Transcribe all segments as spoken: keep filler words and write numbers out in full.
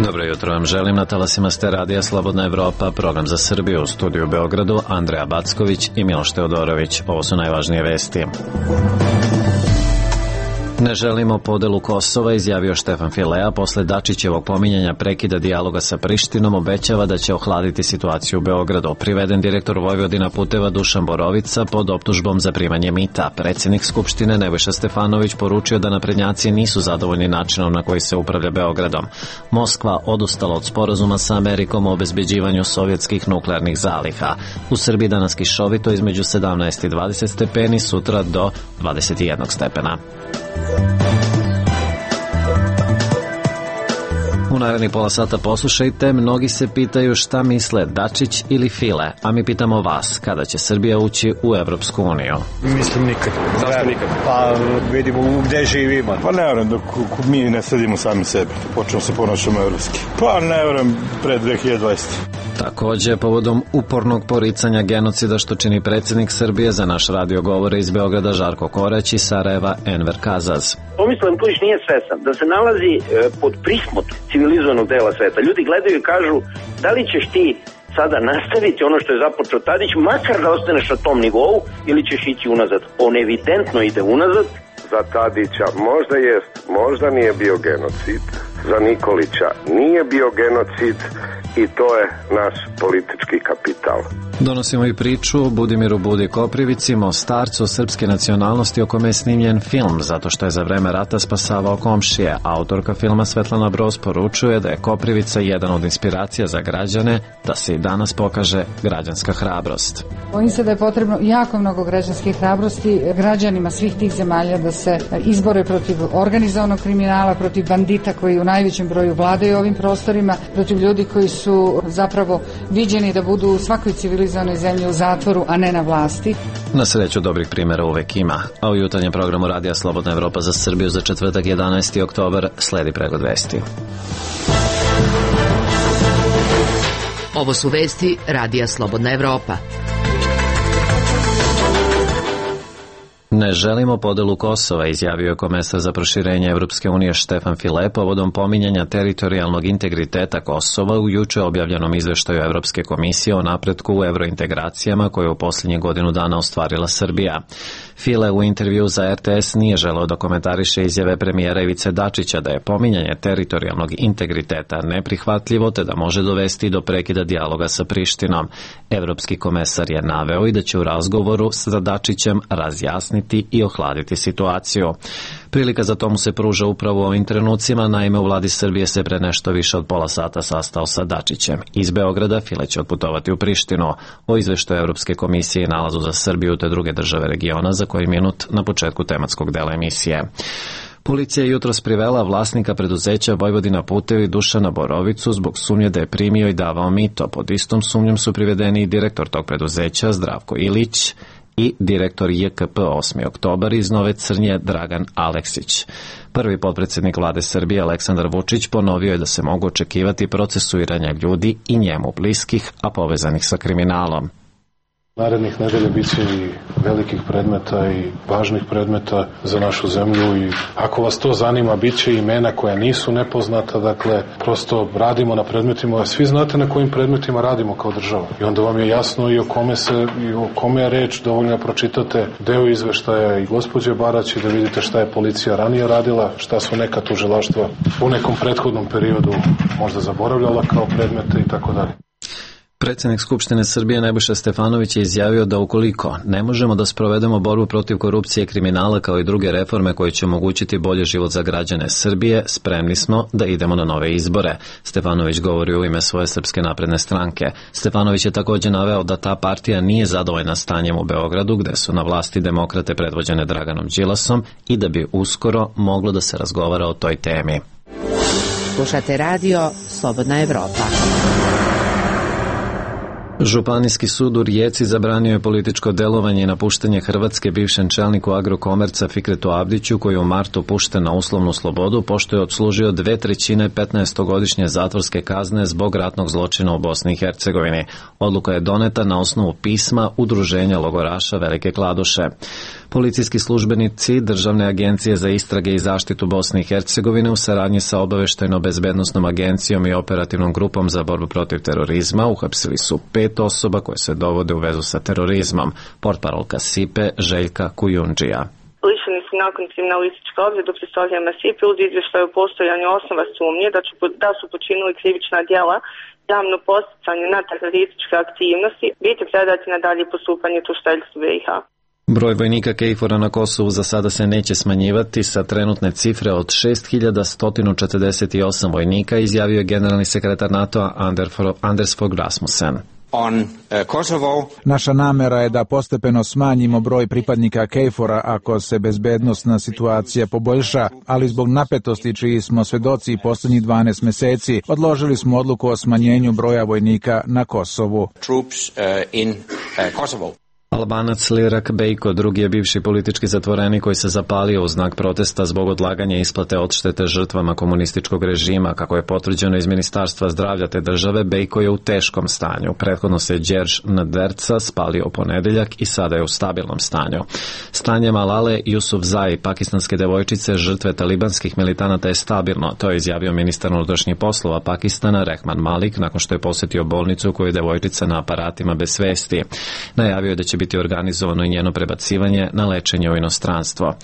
Dobro jutro vam želim, na talasima ste radija Slobodna Evropa, program za Srbiju, u studiju u Beogradu, Andreja Backović i Miloš Teodorović. Ovo su najvažnije vesti. Ne želimo podelu Kosova, izjavio Štefan Filea, posle Dačićevog pominjanja prekida dijaloga sa Prištinom, obećava da će ohladiti situaciju u Beogradu. Priveden direktor Vojvodina puteva Dušan Borovica pod optužbom za primanje mita. Predsjednik Skupštine Nebojša Stefanović poručio da naprednjaci nisu zadovoljni načinom na koji se upravlja Beogradom. Moskva odustala od sporazuma sa Amerikom o obezbeđivanju sovjetskih nuklearnih zaliha. U Srbiji danas kišovito između sedamnaest i dvadeset stepeni, sutra do dvadeset jedan stepena. U narednih pola sata poslušajte, mnogi se pitaju šta misle Dačić ili File, a mi pitamo vas, kada će Srbija ući u Evropsku uniju? Mislim nikad. Zašto nikad? Pa vidimo gde živimo. Pa ne vjerujem dok mi ne sledimo sami sebe, počnemo se ponašamo evropski. Pa ne vjerujem pred dve hiljade dvadesete. Takođe, povodom upornog poricanja genocida što čini predsjednik Srbije, za naš radio govore iz Beograda Žarko Korać i Sarajeva Enver Kazaz. Tomislav Nikolić nije svestan da se nalazi e, pod prismot civilizovanog dela sveta. Ljudi gledaju i kažu da li ćeš ti sada nastaviti ono što je započeo Tadić, makar da ostaneš na tom nivou, ili ćeš ići unazad. On evidentno ide unazad. Za Tadića možda jest, možda nije bio genocid. Za Nikolića nije bio genocid i to je naš politički kapital. Donosimo i priču o Budimiru Budi Koprivici, Mostarcu srpske nacionalnosti o kome je snimljen film, zato što je za vreme rata spasavao komšije. Autorka filma Svetlana Broz poručuje da je Koprivica jedan od inspiracija za građane, da se i danas pokaže građanska hrabrost. Bojim se da je potrebno jako mnogo građanske hrabrosti građanima svih tih zemalja da se izbore protiv organizovanog kriminala, protiv bandita koji u najvećem broju vladaju ovim prostorima, protiv ljudi koji su zapravo viđeni da budu u svakoj civilizovanoj zemlji u zatvoru, a ne na vlasti. Na sreću dobrih primjera uvek ima, a u jutarnjem programu Radija Slobodna Evropa za Srbiju za četvrtak jedanaesti oktobar sledi pregled vesti. Ovo su vesti Radija Slobodna Evropa. Ne želimo podelu Kosova, izjavio je komesar za proširenje Evropske unije Štefan File povodom pominjanja teritorijalnog integriteta Kosova u juče objavljenom izveštaju Evropske komisije o napretku u evrointegracijama koje je u posljednjih godinu dana ostvarila Srbija. File u intervju za R T S nije želeo da komentariše izjave premijera Ivice Dačića da je pominjanje teritorijalnog integriteta neprihvatljivo te da može dovesti do prekida dijaloga sa Prištinom. Evropski komesar je naveo i da će u razgovoru sa Dačićem razjasniti i ohladiti situaciju. Prilika za to mu se pruža upravo u ovim trenucima, naime u vladi Srbije se pre nešto više od pola sata sastao sa Dačićem. Iz Beograda File će otputovati u Prištinu. O izveštaju Evropske komisije i nalazu za Srbiju te druge države regiona za koji minut na početku tematskog dela emisije. Policija je jutros privela vlasnika preduzeća Vojvodina putevi Dušana Borovicu zbog sumnje da je primio i davao mito. Pod istom sumnjom su privedeni i direktor tog preduzeća Zdravko Ilić i direktor J K P osmi oktobar iz Nove Crnje Dragan Aleksić. Prvi potpredsjednik vlade Srbije Aleksandar Vučić ponovio je da se mogu očekivati procesuiranja ljudi i njemu bliskih, a povezanih sa kriminalom. Narednih nedelja bit će i velikih predmeta i važnih predmeta za našu zemlju i ako vas to zanima, bit će imena koja nisu nepoznata, dakle, prosto radimo na predmetima, a svi znate na kojim predmetima radimo kao država. I onda vam je jasno i o kome se, i o kome je reč, dovoljno da pročitate deo izveštaja i gospođe Barać i da vidite šta je policija ranije radila, šta su neka tužilaštva u nekom prethodnom periodu možda zaboravljala kao predmete i tako dalje. Predsjednik Skupštine Srbije Nebojša Stefanović je izjavio da ukoliko ne možemo da sprovedemo borbu protiv korupcije i kriminala kao i druge reforme koje će omogućiti bolji život za građane Srbije, spremni smo da idemo na nove izbore. Stefanović govori u ime svoje Srpske napredne stranke. Stefanović je također naveo da ta partija nije zadovoljna stanjem u Beogradu gde su na vlasti demokrate predvođene Draganom Đilasom i da bi uskoro moglo da se razgovara o toj temi. Slušate radio Slobodna Evropa. Županijski sud u Rijeci zabranio je političko delovanje i napuštanje Hrvatske bivšem čelniku Agrokomerca Fikretu Abdiću, koji je u martu pušten na uslovnu slobodu pošto je odslužio dve trećine petnaestogodišnje zatvorske kazne zbog ratnog zločina u Bosni i Hercegovini. Odluka je doneta na osnovu pisma Udruženja logoraša Velike Kladuše. Policijski službenici Državne agencije za istrage i zaštitu Bosne i Hercegovine u saradnji sa Obaveštajno-bezbednosnom agencijom i operativnom grupom za borbu protiv terorizma uhapsili su pet osoba koje se dovode u vezu sa terorizmom. Portparolka Sipe Željka Kujundžija. Lišeni su nakon kriminalističke objede u pristojama Sipe uz izvještaj o postojanju osnova sumnje da, ću, da su počinili krivična djela, javno podsticanje na terorističke aktivnosti, biti predati na dalje postupanje tužiteljstvu B i H. Broj vojnika KFOR-a na Kosovu za sada se neće smanjivati sa trenutne cifre od šest hiljada sto četrdeset osam vojnika, izjavio je generalni sekretar NATO-a Anders Fogh Rasmussen. On, uh, Kosovo. Naša namera je da postepeno smanjimo broj pripadnika KFOR-a ako se bezbednosna situacija poboljša, ali zbog napetosti čiji smo svedoci posljednjih dvanaest meseci, odložili smo odluku o smanjenju broja vojnika na Kosovu. Troops, uh, in, uh, Kosovo. Albanac Lirak Bejko, drugi je bivši politički zatvorenik koji se zapalio u znak protesta zbog odlaganja isplate odštete žrtvama komunističkog režima. Kako je potvrđeno iz Ministarstva zdravlja te države, Bejko je u teškom stanju. Prethodno se Đerž Naderca spalio u ponedeljak i sada je u stabilnom stanju. Stanje Malale Jusufzai, pakistanske devojčice žrtve talibanskih militanata, je stabilno. To je izjavio ministar unutrašnjih poslova Pakistana Rehman Malik nakon što je posjetio bolnicu u kojoj je devojčica na aparatima bez svesti. Najavio je da će biti organizovano i njeno prebacivanje na lečenje u inostranstvo.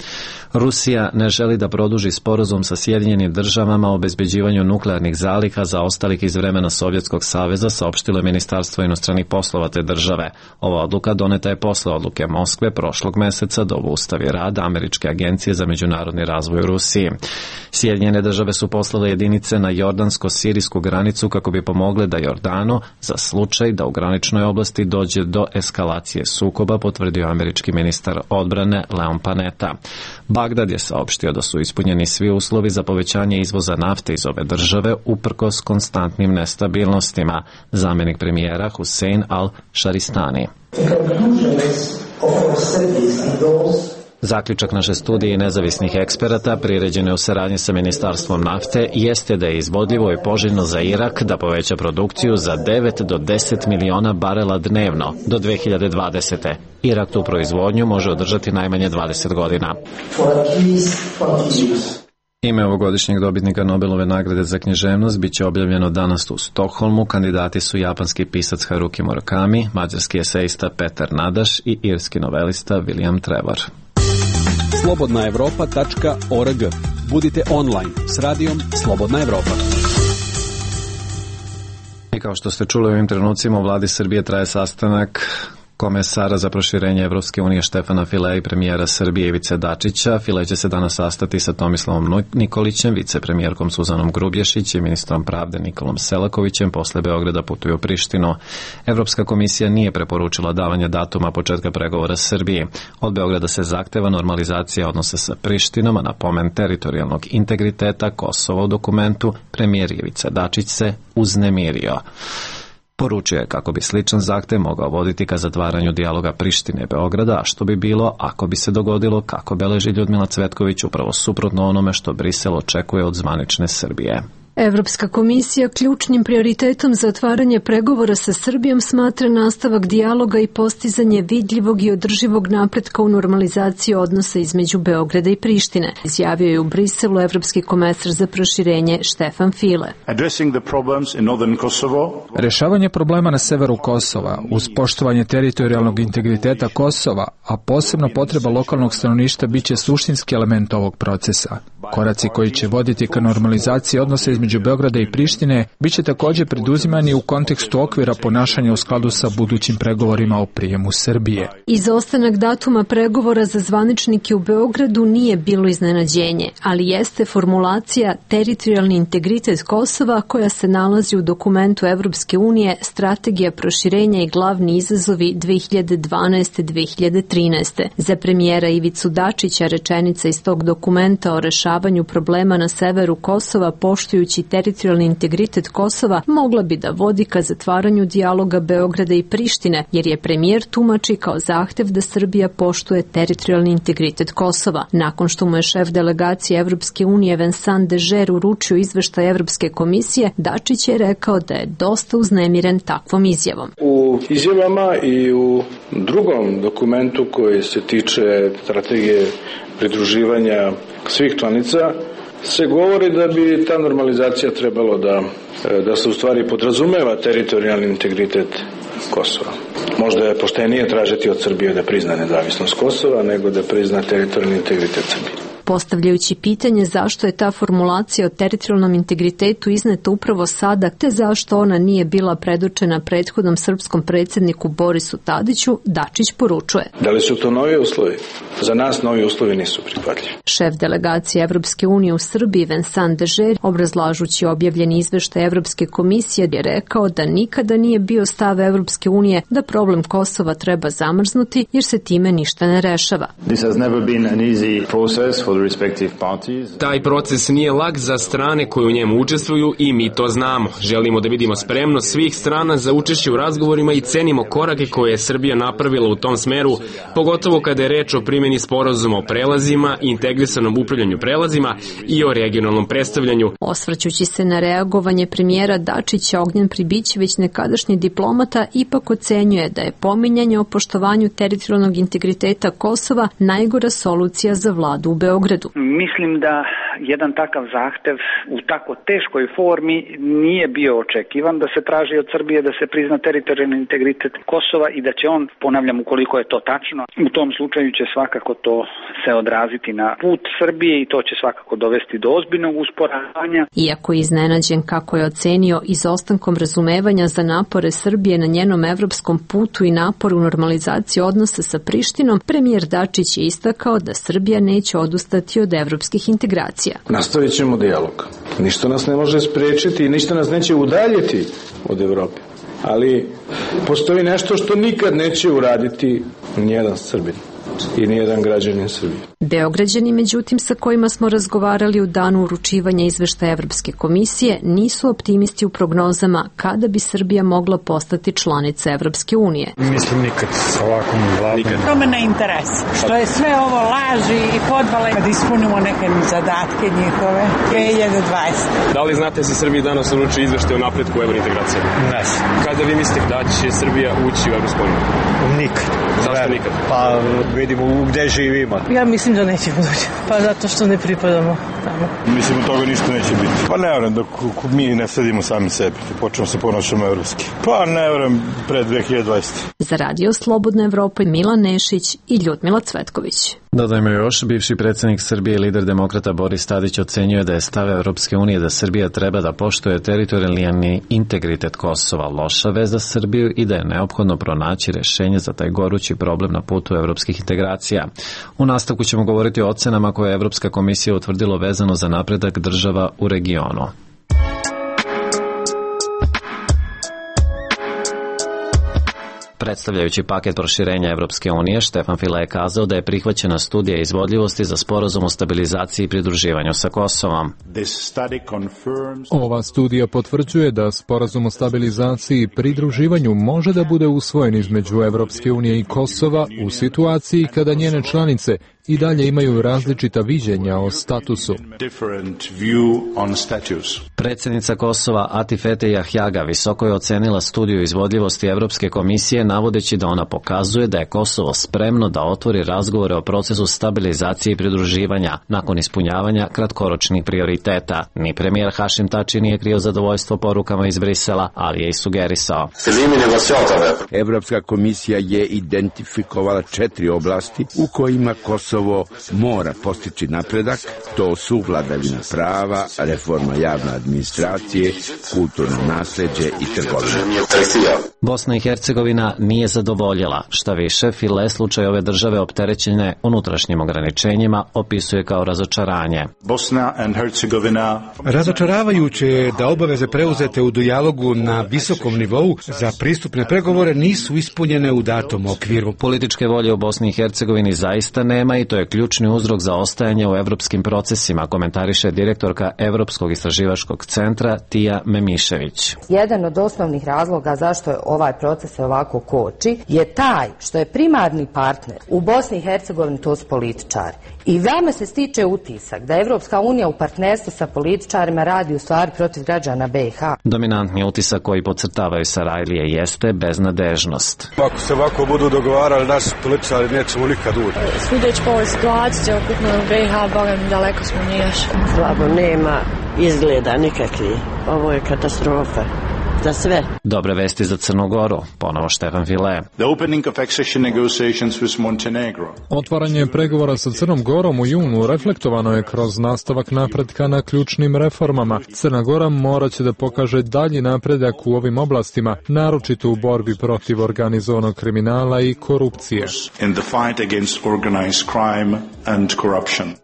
Rusija ne želi da produži sporazum sa Sjedinjenim državama o obezbeđivanju nuklearnih zaliha zaostalih iz vremena Sovjetskog saveza, saopštilo je Ministarstvo inostranih poslova te države. Ova odluka doneta je posle odluke Moskve prošlog meseca da obustavi rad Američke agencije za međunarodni razvoj u Rusiji. Sjedinjene države su poslale jedinice na jordansko-sirijsku granicu kako bi pomogle da Jordanu, za slučaj da u graničnoj oblasti dođe do eskalacije sukoba, potvrdio američki ministar odbrane Leon Panetta. Bagdad je saopštio da su ispunjeni svi uslovi za povećanje izvoza nafte iz ove države uprkos konstantnim nestabilnostima. Zamjenik premijera Hussein al-Šaristani. Zaključak naše studije i nezavisnih eksperata, priređene u saradnji sa Ministarstvom nafte, jeste da je izvodljivo i poželjno za Irak da poveća produkciju za devet do deset miliona barela dnevno do dve hiljade dvadesete. Irak tu proizvodnju može održati najmanje dvadeset godina. Ime ovogodišnjeg dobitnika Nobelove nagrade za književnost biće objavljeno danas u Stokholmu. Kandidati su japanski pisac Haruki Murakami, mađarski esejista Petar Nadaš i irski novelista William Trevor. slobodna evropa tačka org. Budite online s radijom Slobodna Evropa. I kao što ste čuli, u ovim trenucima u vladi Srbije traje sastanak komesara za proširenje Evropske unije Štefana Filea i premijera Srbije Ivice Dačića. File će se danas sastati sa Tomislavom Nikolićem, vicepremijerkom Suzanom Grubješić i ministrom pravde Nikolom Selakovićem. Posle Beograda putuju u Prištinu. Evropska komisija nije preporučila davanje datuma početka pregovora Srbije. Od Beograda se zahteva normalizacija odnosa sa Prištinom, a na pomen teritorijalnog integriteta Kosova u dokumentu premijer Ivica Dačić se uznemirio. Poručio je kako bi sličan zahtev mogao voditi ka zatvaranju dijaloga Prištine i Beograda, a što bi bilo ako bi se dogodilo, kako beleži Ljudmila Cvetković, upravo suprotno onome što Brisel očekuje od zvanične Srbije. Evropska komisija ključnim prioritetom za otvaranje pregovora sa Srbijom smatra nastavak dijaloga i postizanje vidljivog i održivog napretka u normalizaciji odnosa između Beograda i Prištine, izjavio je u Briselu evropski komesar za proširenje Štefan File. Rešavanje problema na severu Kosova uz poštovanje teritorijalnog integriteta Kosova, a posebno potreba lokalnog stanovništva, biće suštinski element ovog procesa. Koraci koji će voditi ka normalizaciji odnosa između Beograda i Prištine biće također preduzimani u kontekstu okvira ponašanja u skladu sa budućim pregovorima o prijemu Srbije. Izostanak datuma pregovora za zvaničnike u Beogradu nije bilo iznenađenje, ali jeste formulacija teritorijalni integritet Kosova koja se nalazi u dokumentu Evropske unije Strategija proširenja i glavni izazovi dve hiljade dvanaeste do dve hiljade trinaeste. Za premijera Ivicu Dačića rečenica iz tog dokumenta o rešavanju problema na severu Kosova poštujući poštujući teritorijalni integritet Kosova, mogla bi da vodi ka zatvaranju dijaloga Beograda i Prištine, jer je premijer tumači kao zahtev da Srbija poštuje teritorijalni integritet Kosova. Nakon što mu je šef delegacije Evropske unije Vincent Dežer uručio izveštaj Evropske komisije, Dačić je rekao da je dosta uznemiren takvom izjavom. U izjavama i u drugom dokumentu koji se tiče strategije pridruživanja svih članica se govori da bi ta normalizacija trebalo da, da se u stvari podrazumeva teritorijalni integritet Kosova. Možda je poštenije tražiti od Srbije da prizna nezavisnost Kosova nego da prizna teritorijalni integritet Srbije. Postavljajući pitanje zašto je ta formulacija o teritorijalnom integritetu izneta upravo sada, te zašto ona nije bila predočena prethodnom srpskom predsjedniku Borisu Tadiću, Dačić poručuje. Da li su to novi uslovi? Za nas novi uslovi nisu prihvatljivi. Šef delegacije Evropske unije u Srbiji Vincent Dežer, obrazlažući objavljeni izveštaj Evropske komisije, je rekao da nikada nije bio stav Evropske unije da problem Kosova treba zamrznuti jer se time ništa ne rešava. This has never been an easy process for Taj proces nije lak za strane koje u njemu učestvuju i mi to znamo. Želimo da vidimo spremnost svih strana za učešće u razgovorima i cenimo korake koje je Srbija napravila u tom smeru, pogotovo kada je reč o primjeni sporazuma o prelazima, integrisanom upravljanju prelazima i o regionalnom predstavljanju. Osvrćući se na reagovanje premijera Dačića, Ognjen Pribićević, nekadašnji diplomata, ipak ocenjuje da je pominjanje o poštovanju teritorijalnog integriteta Kosova najgora solucija za vladu u Beogradu. Mislim da jedan takav zahtev u tako teškoj formi nije bio očekivan, da se traži od Srbije da se prizna teritorijalni integritet Kosova i da će on, ponavljam, ukoliko je to tačno, u tom slučaju će svakako to se odraziti na put Srbije i to će svakako dovesti do ozbiljnog usporavanja. Iako je iznenađen kako je ocenio izostankom razumevanja za napore Srbije na njenom evropskom putu i naporu u normalizaciji odnosa sa Prištinom, premijer Dačić je istakao da Srbija neće odustati od evropskih integracija. Nastavit ćemo dijalog. Ništa nas ne može spriječiti i ništa nas neće udaljiti od Evrope. Ali postoji nešto što nikad neće uraditi nijedan Srbin i nijedan građanin Srbije. Beograđani, međutim, sa kojima smo razgovarali u danu uručivanja izveštaja Evropske komisije, nisu optimisti u prognozama kada bi Srbija mogla postati članica Evropske unije. Mislim nikad sa ovakvom vladom. To me ne interesa. Što je sve ovo laži i podvale kad ispunimo neke zadatke njihove. dve hiljade dvadesete. Da li znate se Srbiji danas uruči izveštaj o napretku evrointegracije? Ne. Kada vi mislite da će Srbija ući u Evropsku uniju? Nikad. Zašto nikad? Pa vidimo gde živimo. Ja mislim da nećemo doći. Pa zato što ne pripadamo tamo. Mislim, od toga ništa neće biti. Pa ne vjerujem dok mi ne sledimo sami sebi. Počnemo se ponašamo evropski. Pa ne vjerujem pred dve hiljade dvadesete. Za Radio Slobodna Evropa Milan Nešić i Ljudmila Cvetković. Dodajmo još, bivši predsjednik Srbije i lider demokrata Boris Tadić ocenjuje da je stav Evropske unije da Srbija treba da poštuje teritorijalni integritet Kosova loša vez za Srbiju i da je neophodno pronaći rešenje za taj gorući problem na putu evropskih integracija. U nastavku ćemo govoriti o ocenama koje je Evropska komisija utvrdila vezano za napredak država u regionu. Predstavljajući paket proširenja Evropske unije, Štefan File je kazao da je prihvaćena studija izvodljivosti za sporazum o stabilizaciji i pridruživanju sa Kosovom. Ova studija potvrđuje da sporazum o stabilizaciji i pridruživanju može da bude usvojen između Evropske unije i Kosova u situaciji kada njene članice i dalje imaju različita viđenja o statusu. Predsjednica Kosova Atifete Jahjaga visoko je ocenila studiju izvodljivosti Evropske komisije navodeći da ona pokazuje da je Kosovo spremno da otvori razgovore o procesu stabilizacije i pridruživanja nakon ispunjavanja kratkoročnih prioriteta. Ni premijer Hašim Tači nije krio zadovoljstvo porukama iz Brisela, ali je i sugerisao. Evropska komisija je identifikovala četiri oblasti u kojima Kosovo mora postići napredak, to su vladavina prava, reforma javne administracije, kulturno nasleđe i trgovina. Bosna i Hercegovina nije zadovoljila. Šta više, File slučaj ove države opterećene unutrašnjim ograničenjima opisuje kao razočaranje. Bosna and Hercegovina. Razočaravajuće je da obaveze preuzete u dijalogu na visokom nivou za pristupne pregovore nisu ispunjene u datom okviru. Političke volje u Bosni i Hercegovini zaista nema i to je ključni uzrok za ostajanje u evropskim procesima, komentariše direktorka Evropskog istraživačkog centra Tija Memišević. Jedan od osnovnih razloga zašto je ovaj proces ovako koči je taj što je primarni partner u Bosni i Hercegovini, to su političari. I vama se stiče utisak da Evropska unija u partnerstvu sa političarima radi u stvari protiv građana B i H. Dominantni utisak koji podcrtavaju Sarajlije jeste beznadežnost. Ako se ovako budu dogovarali naši političari, nećemo nikad ući. Sudeć po ovoj situaciji, okupno u B i H, bogam, daleko smo nije još. Slabo, nema izgleda nikakvi. Ovo je katastrofa. Za sve. Dobre vesti za Crnu Goru, ponovo Štefan File. Otvaranje pregovora sa Crnom Gorom u junu reflektovano je kroz nastavak napretka na ključnim reformama. Crna Gora morat će da pokaže dalji napredak u ovim oblastima, naročito u borbi protiv organizovanog kriminala i korupcije.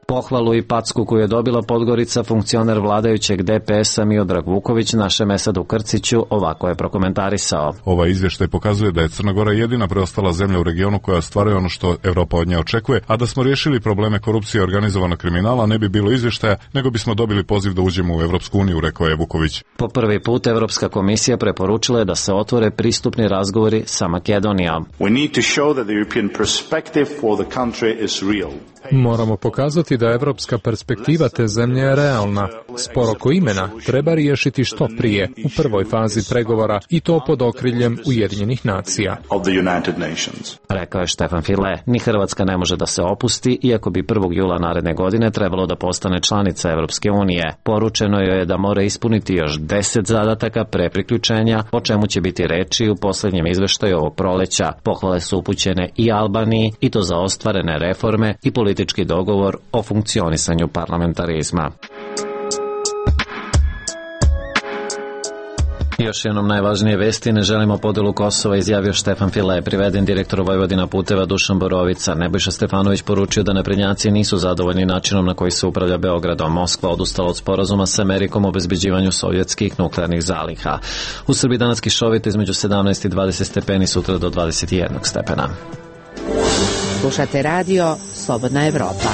Pohvalu i packu koju je dobila Podgorica, funkcioner vladajućeg D P S-a Miodrag Vuković našem Esadu Krciću ovako je prokomentarisao. Ovaj izvještaj pokazuje da je Crna Gora jedina preostala zemlja u regionu koja ostvaruje ono što Evropa od nje očekuje, a da smo riješili probleme korupcije i organizovanog kriminala ne bi bilo izvještaja, nego bismo dobili poziv da uđemo u Evropsku uniju, rekao je Vuković. Po prvi put Evropska komisija preporučila je da se otvore pristupni razgovori sa Makedonijom. We need to show that the European perspective for the country is real. Moramo pokazati da evropska perspektiva te zemlje je realna. Spor oko imena treba riješiti što prije, u prvoj fazi pregovora, i to pod okriljem Ujedinjenih nacija. Rekao je Štefan File. Ni Hrvatska ne može da se opusti, iako bi prvog jula naredne godine trebalo da postane članica Evropske unije. Poručeno joj je da mora ispuniti još deset zadataka pre priključenja, o čemu će biti reči u posljednjem izveštaju ovog proleća. Pohvale su upućene i Albaniji, i to za ostvarene reforme i politički dogovor o funkcionisanju parlamentarizma. Još jednom najvažnije vesti, ne želimo podelu Kosova, izjavio Štefan File, priveden direktor Vojvodina puteva Dušan Borovica. Nebojša Stefanović poručio da naprednjaci nisu zadovoljni načinom na koji se upravlja Beogradom. Moskva odustala od sporazuma sa Amerikom o obezbeđivanju sovjetskih nuklearnih zaliha. U Srbiji danas kišovito između sedamnaest i dvadeset stepeni, sutra do dvadeset jedan stepena. Slušate radio Slobodna Evropa.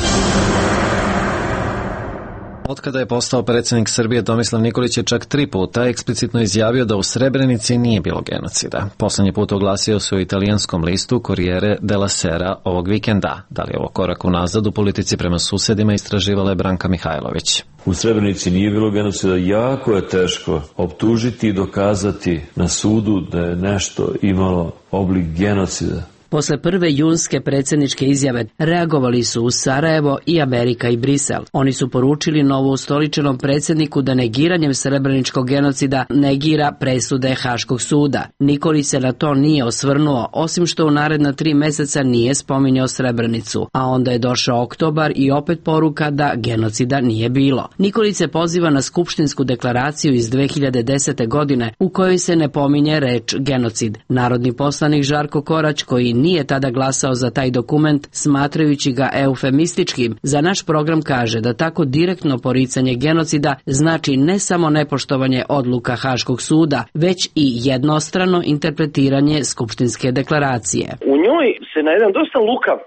Otkada je postao predsjednik Srbije, Tomislav Nikolić je čak tri puta eksplicitno izjavio da u Srebrenici nije bilo genocida. Poslednji put oglasio se u italijanskom listu Corriere della Sera ovog vikenda. Da li je ovo korak unazad u politici prema susedima, istraživala je Branka Mihajlović. U Srebrenici nije bilo genocida, jako je teško optužiti i dokazati na sudu da je nešto imalo oblik genocida. Posle prve junske predsjedničke izjave reagovali su u Sarajevo i Amerika i Brisel. Oni su poručili novoustoličenom predsjedniku da negiranjem srebreničkog genocida negira presude Haškog suda. Nikolić se na to nije osvrnuo, osim što u naredna tri meseca nije spominjao Srebrenicu. A onda je došao oktobar i opet poruka da genocida nije bilo. Nikolić se poziva na skupštinsku deklaraciju iz dve hiljade desete. godine u kojoj se ne pominje reč genocid. Narodni poslanik Žarko Korać, koji nije tada glasao za taj dokument, smatrajući ga eufemističkim, za naš program kaže da tako direktno poricanje genocida znači ne samo nepoštovanje odluka Haškog suda, već i jednostrano interpretiranje skupštinske deklaracije. U njoj se na jedan dosta lukav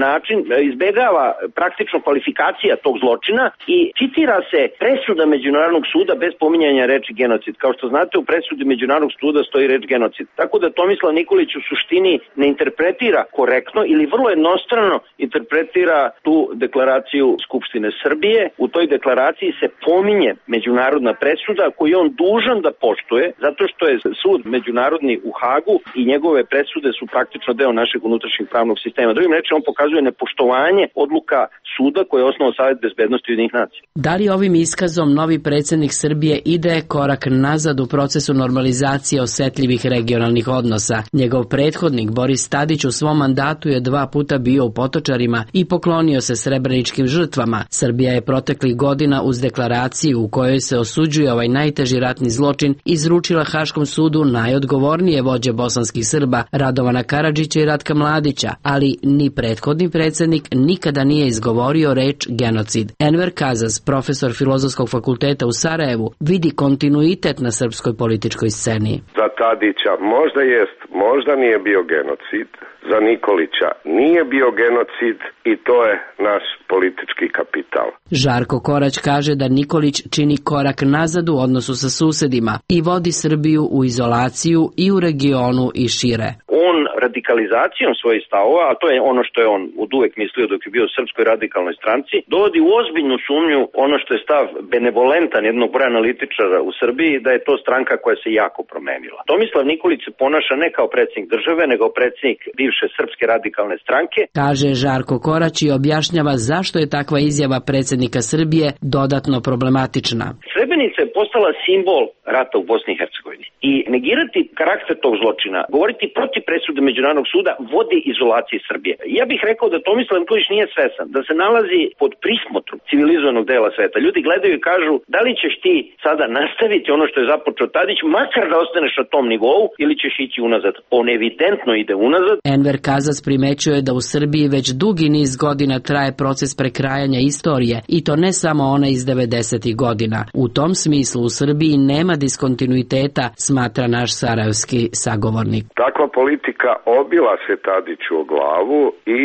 način izbegava praktično kvalifikacija tog zločina i citira se presuda Međunarodnog suda bez pominjanja reči genocid. Kao što znate, u presudi Međunarodnog suda stoji reč genocid. Tako da Tomislav Nikolić u suštini ne interpretira korektno ili vrlo jednostrano interpretira tu deklaraciju Skupštine Srbije. U toj deklaraciji se pominje međunarodna presuda koju je on dužan da poštuje, zato što je sud međunarodni u Hagu i njegove presude su praktično deo našeg unutrašnjeg pravnog sistema. Drugim rečima, on pokazuje nepoštovanje odluka suda koje je osnovao Savet bezbednosti Ujedinjenih nacija. Da li ovim iskazom novi predsjednik Srbije ide korak nazad u procesu normalizacije osetljivih regionalnih odnosa? Njegov prethodnik Boris Tadić u svom mandatu je dva puta bio u Potočarima i poklonio se srebreničkim žrtvama. Srbija je proteklih godina uz deklaraciju u kojoj se osuđuje ovaj najteži ratni zločin izručila Haškom sudu najodgovornije vođe bosanskih Srba Radovana Karadžića i Ratka Mladića, ali ni prethodni predsjednik nikada nije izgovorio reč genocid. Enver Kazas, profesor Filozofskog fakulteta u Sarajevu, vidi kontinuitet na srpskoj političkoj sceni. Za Tadića možda jest, možda nije bio genocid, za Nikolića nije bio genocid i to je naš politički kapital. Žarko Korać kaže da Nikolić čini korak nazad u odnosu sa susedima i vodi Srbiju u izolaciju i u regionu i šire. On radikalizacijom svojih stavova, a to je ono što je on oduvek mislio dok je bio u Srpskoj radikalnoj stranci, dovodi u ozbiljnu sumnju ono što je stav benevolentan jednog broja analitičara u Srbiji, da je to stranka koja se jako promenila. Tomislav Nikolić se ponaša ne kao predsjednik države, nego predsjednik bivše Srpske radikalne stranke. Kaže Žarko Korać i objašnjava zašto je takva izjava predsjednika Srbije dodatno problematična. Srebrenica je postala simbol rata u Bosni i Hercegovini. I negirati karakter tog zločina, govoriti protiv presude Međunarodnog suda, vodi izolaciji Srbije. Ja bih rekao da Tomislav Nikolić nije svesan, da se nalazi pod prismotrom civilizovanog dela sveta. Ljudi gledaju i kažu da li ćeš ti sada nastaviti ono što je započeo Tadić, makar da ostaneš na tom nivou, ili ćeš ići unazad. On evidentno ide unazad. Enver Kazac primećuje da u Srbiji već dugi niz godina traje proces prekrajanja istorije, i to ne samo ona iz devedesetih godina. U tom smislu u Srbiji nema diskontinuiteta, smatra naš sarajevski sagovornik. Takva politika obila se Tadiću o glavu i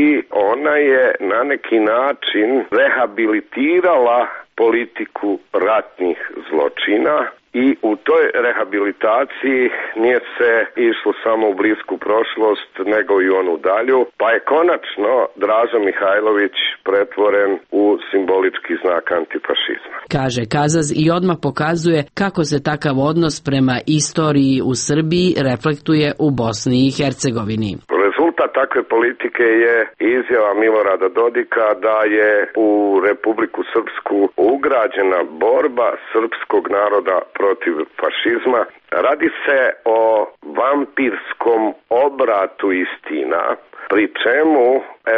ona je na neki način rehabilitirala politiku ratnih zločina. I u toj rehabilitaciji nije se išlo samo u blisku prošlost, nego i onu dalju, pa je konačno Draža Mihajlović pretvoren u simbolički znak antifašizma. Kaže Kazaz i odmah pokazuje kako se takav odnos prema istoriji u Srbiji reflektuje u Bosni i Hercegovini. Rezultat takve politike je izjava Milorada Dodika da je u Republiku Srpsku ugrađena borba srpskog naroda protiv fašizma. Radi se o vampirskom obratu istina, pri čemu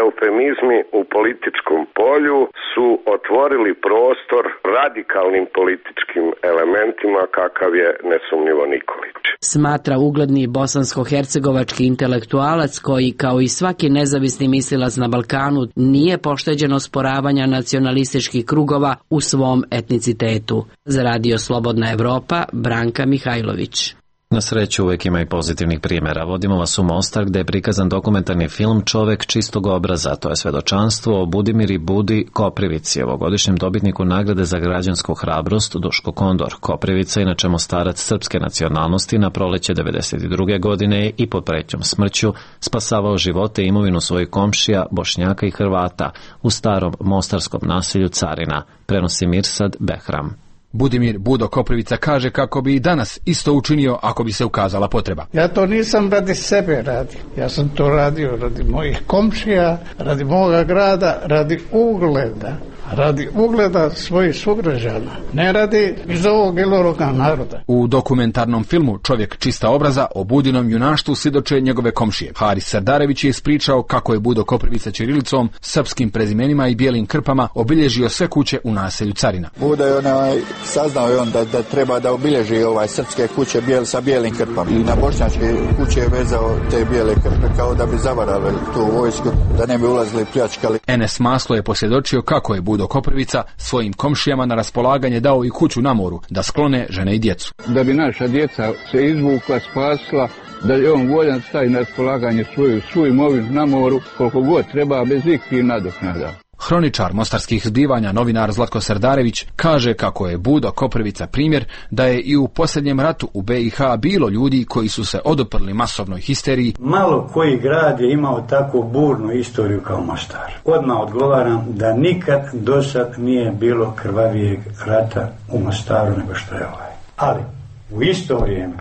eufemizmi u političkom polju su otvorili prostor radikalnim političkim elementima kakav je nesumnjivo Nikolić. Smatra ugledni bosansko-hercegovački intelektualac koji, kao i svaki nezavisni mislilac na Balkanu, nije pošteđen osporavanja nacionalističkih krugova u svom etnicitetu. Za Radio Slobodna Evropa, Branka Mihajlović. Na sreću uvijek ima i pozitivnih primjera. Vodimo vas u Mostar gdje je prikazan dokumentarni film Čovek čistog obraza. To je svedočanstvo o Budimiri Budi Koprivici, ovogodišnjem dobitniku nagrade za građansku hrabrost Duško Kondor. Koprivica, inače Mostarac srpske nacionalnosti, na proleće devedeset druge godine i pod pretnjom smrću spasavao živote i imovinu svojih komšija, Bošnjaka i Hrvata u starom mostarskom naselju Carina, prenosi Mirsad Behram. Budimir Budo Koprivica kaže kako bi i danas isto učinio ako bi se ukazala potreba. Ja to nisam radi sebe radio. Ja sam to radio radi mojih komšija, radi moga grada, radi ugleda. Radi ugleda svojih sugrađana, ne radi iz ovog ili ovoga naroda. U dokumentarnom filmu Čovjek čista obraza o Budinom junaštvu svjedoče njegove komšije. Haris Sardarević je ispričao kako je Budo Koprivica ćirilicom, srpskim prezimenima i bijelim krpama obilježio sve kuće u naselju Carina. Budo je onaj, saznao je on da, da treba da obilježi ovaj srpske kuće bijel, sa bijelim krpama. I na bošnjačke kuće je vezao te bijele krpe kao da bi zavarali tu vojsku, da ne bi ulazili i pljačkali. Enes Maslo je posvjedočio kako je Budo Koprivica svojim komšijama na raspolaganje dao i kuću na moru da sklone žene i djecu. Da bi naša djeca se izvukla, spasila, da je on voljan stavi na raspolaganje svoju, svoju imovinu na moru koliko god treba bez ikakvih nadoknada. Hroničar mostarskih zbivanja, novinar Zlatko Sardarević, kaže kako je Budo Koprivica primjer da je i u posljednjem ratu u be i ha bilo ljudi koji su se oduprli masovnoj histeriji. Malo koji grad je imao tako burnu istoriju kao Mostar. Odmah odgovaram da nikad do sad nije bilo krvavijeg rata u Mostaru nego što je ovaj. Ali u isto vrijeme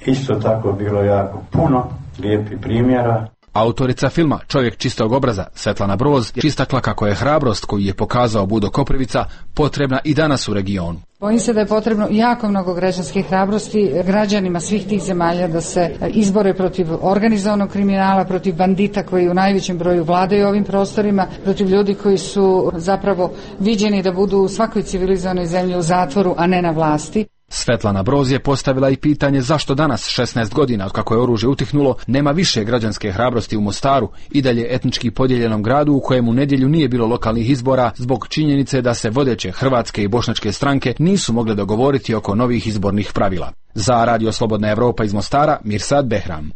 isto tako bilo jako puno lijepih primjera. Autorica filma Čovjek čistog obraza, Svetlana Broz, je istakla kako je hrabrost koju je pokazao Budo Koprivica potrebna i danas u regionu. Bojim se da je potrebno jako mnogo građanske hrabrosti građanima svih tih zemalja da se izbore protiv organizovanog kriminala, protiv bandita koji u najvećem broju vladaju ovim prostorima, protiv ljudi koji su zapravo viđeni da budu u svakoj civilizovanoj zemlji u zatvoru, a ne na vlasti. Svetlana Broz je postavila i pitanje zašto danas, šesnaest godina od kako je oružje utihnulo, nema više građanske hrabrosti u Mostaru, i dalje etnički podijeljenom gradu u kojem u nedjelju nije bilo lokalnih izbora zbog činjenice da se vodeće hrvatske i bošnjačke stranke nisu mogle dogovoriti oko novih izbornih pravila. Za Radio Slobodna Evropa iz Mostara, Mirsad Behram.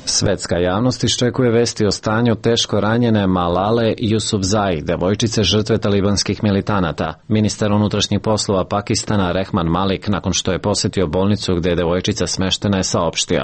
Svetska javnost iščekuje vesti o stanju teško ranjene Malale Yousafzai, devojčice žrtve talibanskih militanata. Ministar unutrašnjih poslova Pakistana Rehman Malik, nakon što je posjetio bolnicu gdje je devojčica smeštena, je saopštio: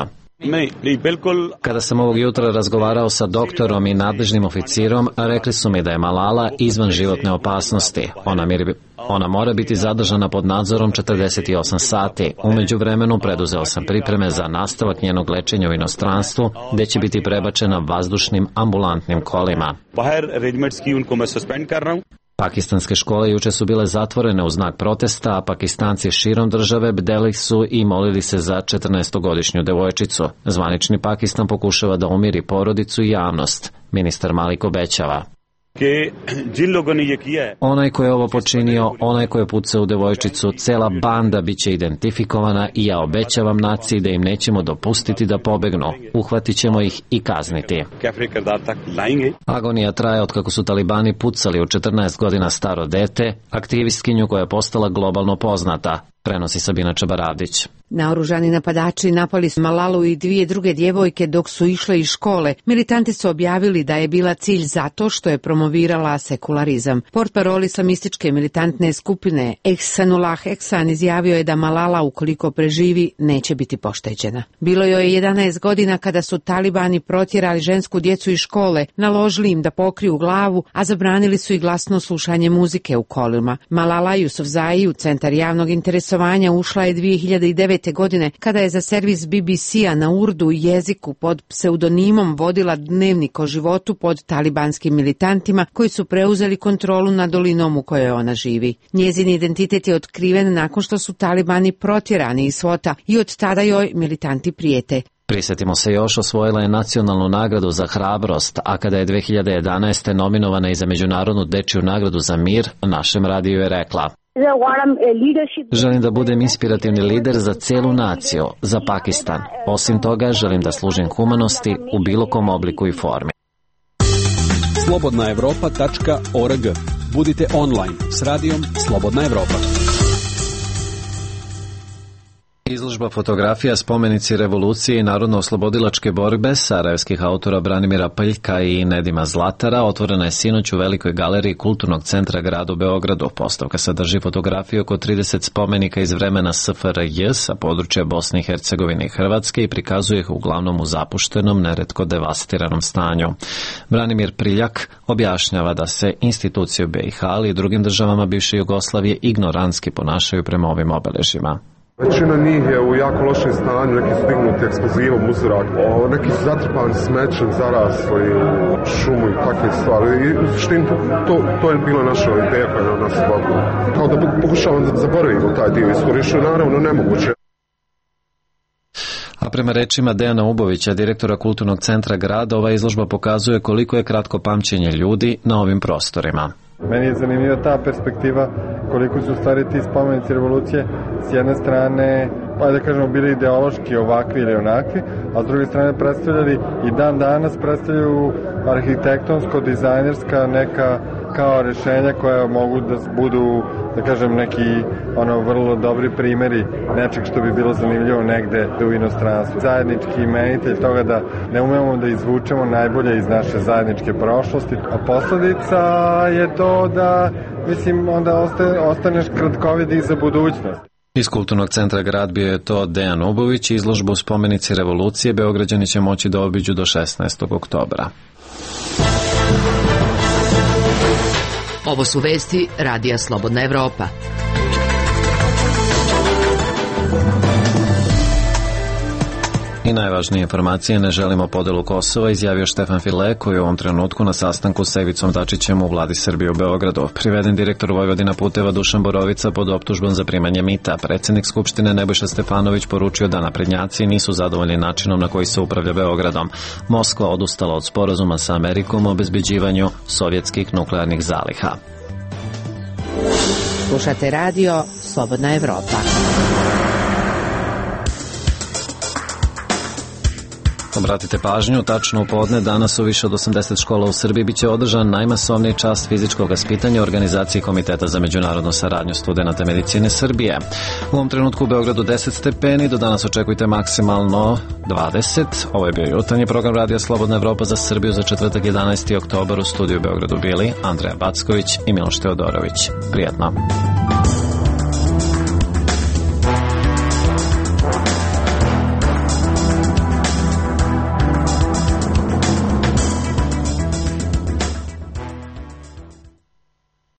Kada sam ovog jutra razgovarao sa doktorom i nadležnim oficirom, rekli su mi da je Malala izvan životne opasnosti. Ona, mir, ona mora biti zadržana pod nadzorom četrdeset osam sati. U međuvremenu preduzeo sam pripreme za nastavak njenog lečenja u inostranstvu, gdje će biti prebačena vazdušnim ambulantnim kolima. Pakistanske škole juče su bile zatvorene u znak protesta, a Pakistanci širom države bdeli su i molili se za četrnaestogodišnju devojčicu. Zvanični Pakistan pokušava da umiri porodicu i javnost. Ministar Malik obećava: Onaj ko je ovo počinio, onaj ko je pucao u devojčicu, cela banda bit će identifikovana i ja obećavam naciji da im nećemo dopustiti da pobegnu. Uhvatit ćemo ih i kazniti. Agonija traje od kako su talibani pucali u četrnaest godina staro dete, aktivistkinju koja je postala globalno poznata. Prenosi Sabina Čabaradić. Naoružani napadači napali su Malalu i dvije druge djevojke dok su išle iz škole. Militanti su objavili da je bila cilj zato što je promovirala sekularizam. Portparol islamističke militantne skupine Ehsanullah Ehsan izjavio je da Malala, ukoliko preživi, neće biti pošteđena. Bilo joj je jedanaest godina kada su talibani protjerali žensku djecu iz škole, naložili im da pokriju glavu, a zabranili su i glasno slušanje muzike u kolima. Malala Yousafzai u centar javnog interesovanja ušla je dvije hiljade devete. godine kada je za servis B B C-a na urdu jeziku pod pseudonimom vodila dnevnik o životu pod talibanskim militantima koji su preuzeli kontrolu nad dolinom u kojoj ona živi. Njezin identitet je otkriven nakon što su talibani protjerani iz svota i od tada joj militanti prijete. Prisjetimo se još, osvojila je nacionalnu nagradu za hrabrost, a kada je dve hiljade jedanaeste. nominovana i za Međunarodnu dečju nagradu za mir, našem radiju je rekla: Želim da budem inspirativni lider za cijelu naciju, za Pakistan. Osim toga, želim da služim humanosti u bilo kom obliku i formi. slobodna evropa tačka org. Budite online s radijom Slobodna Evropa. Izložba fotografija Spomenici revolucije i narodno-oslobodilačke borbe sarajevskih autora Branimira Paljka i Nedima Zlatara otvorena je sinoć u Velikoj galeriji Kulturnog centra grada u Beogradu. Postavka sadrži fotografiju oko trideset spomenika iz vremena S F R J sa područja Bosne i Hercegovine i Hrvatske i prikazuje ih uglavnom u zapuštenom, neretko devastiranom stanju. Branimir Priljak objašnjava da se institucije u B i H, ali i drugim državama bivše Jugoslavije ignorantski ponašaju prema ovim obeležjima. Većina njih je u jako lošem stanju, neki su dignuti eksplozivom u zrak, neki su zatrpani smećem, zarasli u šumu i takve stvari. I u suštini to, to je bila naša ideja koja je nas bavila. Kao da pokušavamo da zaboravimo taj dio istorije, što je naravno nemoguće. A prema rečima Dejana Ubovića, direktora Kulturnog centra grada, ova izložba pokazuje koliko je kratko pamćenje ljudi na ovim prostorima. Meni je zanimljiva ta perspektiva koliko su stvari ti spomenici revolucije s jedne strane, pa da kažemo, bili ideološki ovakvi ili onakvi, a s druge strane predstavljali i dan danas predstavljaju arhitektonsko-dizajnerska neka kao rješenja koja mogu da budu, da kažem, neki ono vrlo dobri primjeri nečeg što bi bilo zanimljivo negde u inostranstvu. Zajednički imenitelj toga da ne umemo da izvučemo najbolje iz naše zajedničke prošlosti, a posljedica je to da, mislim, onda ostaje, ostaneš kratkovid i za budućnost. Iz Kulturnog centra grad bio je to Dejan Ubović. Izložbu Spomenici revolucije Beograđani će moći da obiđu do šesnaestog oktobra. Ovo su vesti Radija Slobodna Evropa. I najvažnije informacije: ne želimo podelu Kosova, izjavio Štefan File, koji je u ovom trenutku na sastanku sa Ivicom Dačićem u vladi Srbije u Beogradu. Priveden direktor Vojvodina puteva Dušan Borovica pod optužbom za primanje mita. Predsednik Skupštine Nebojša Stefanović poručio da naprednjaci nisu zadovoljni načinom na koji se upravlja Beogradom. Moskva odustala od sporazuma sa Amerikom o obezbeđivanju sovjetskih nuklearnih zaliha. Slušate radio Slobodna Evropa. Obratite pažnju, tačno u podne danas u više od osamdeset škola u Srbiji biće održan najmasovniji čas fizičkog vaspitanja u organizaciji Komiteta za međunarodnu saradnju studenata medicine Srbije. U ovom trenutku u Beogradu deset stepeni, do danas očekujte maksimalno dvadeset. Ovo je bio jutarnji program Radija Slobodna Evropa za Srbiju za četvrtak jedanaesti oktobar. U studiju u Beogradu bili Andreja Backović i Miloš Teodorović. Prijatno.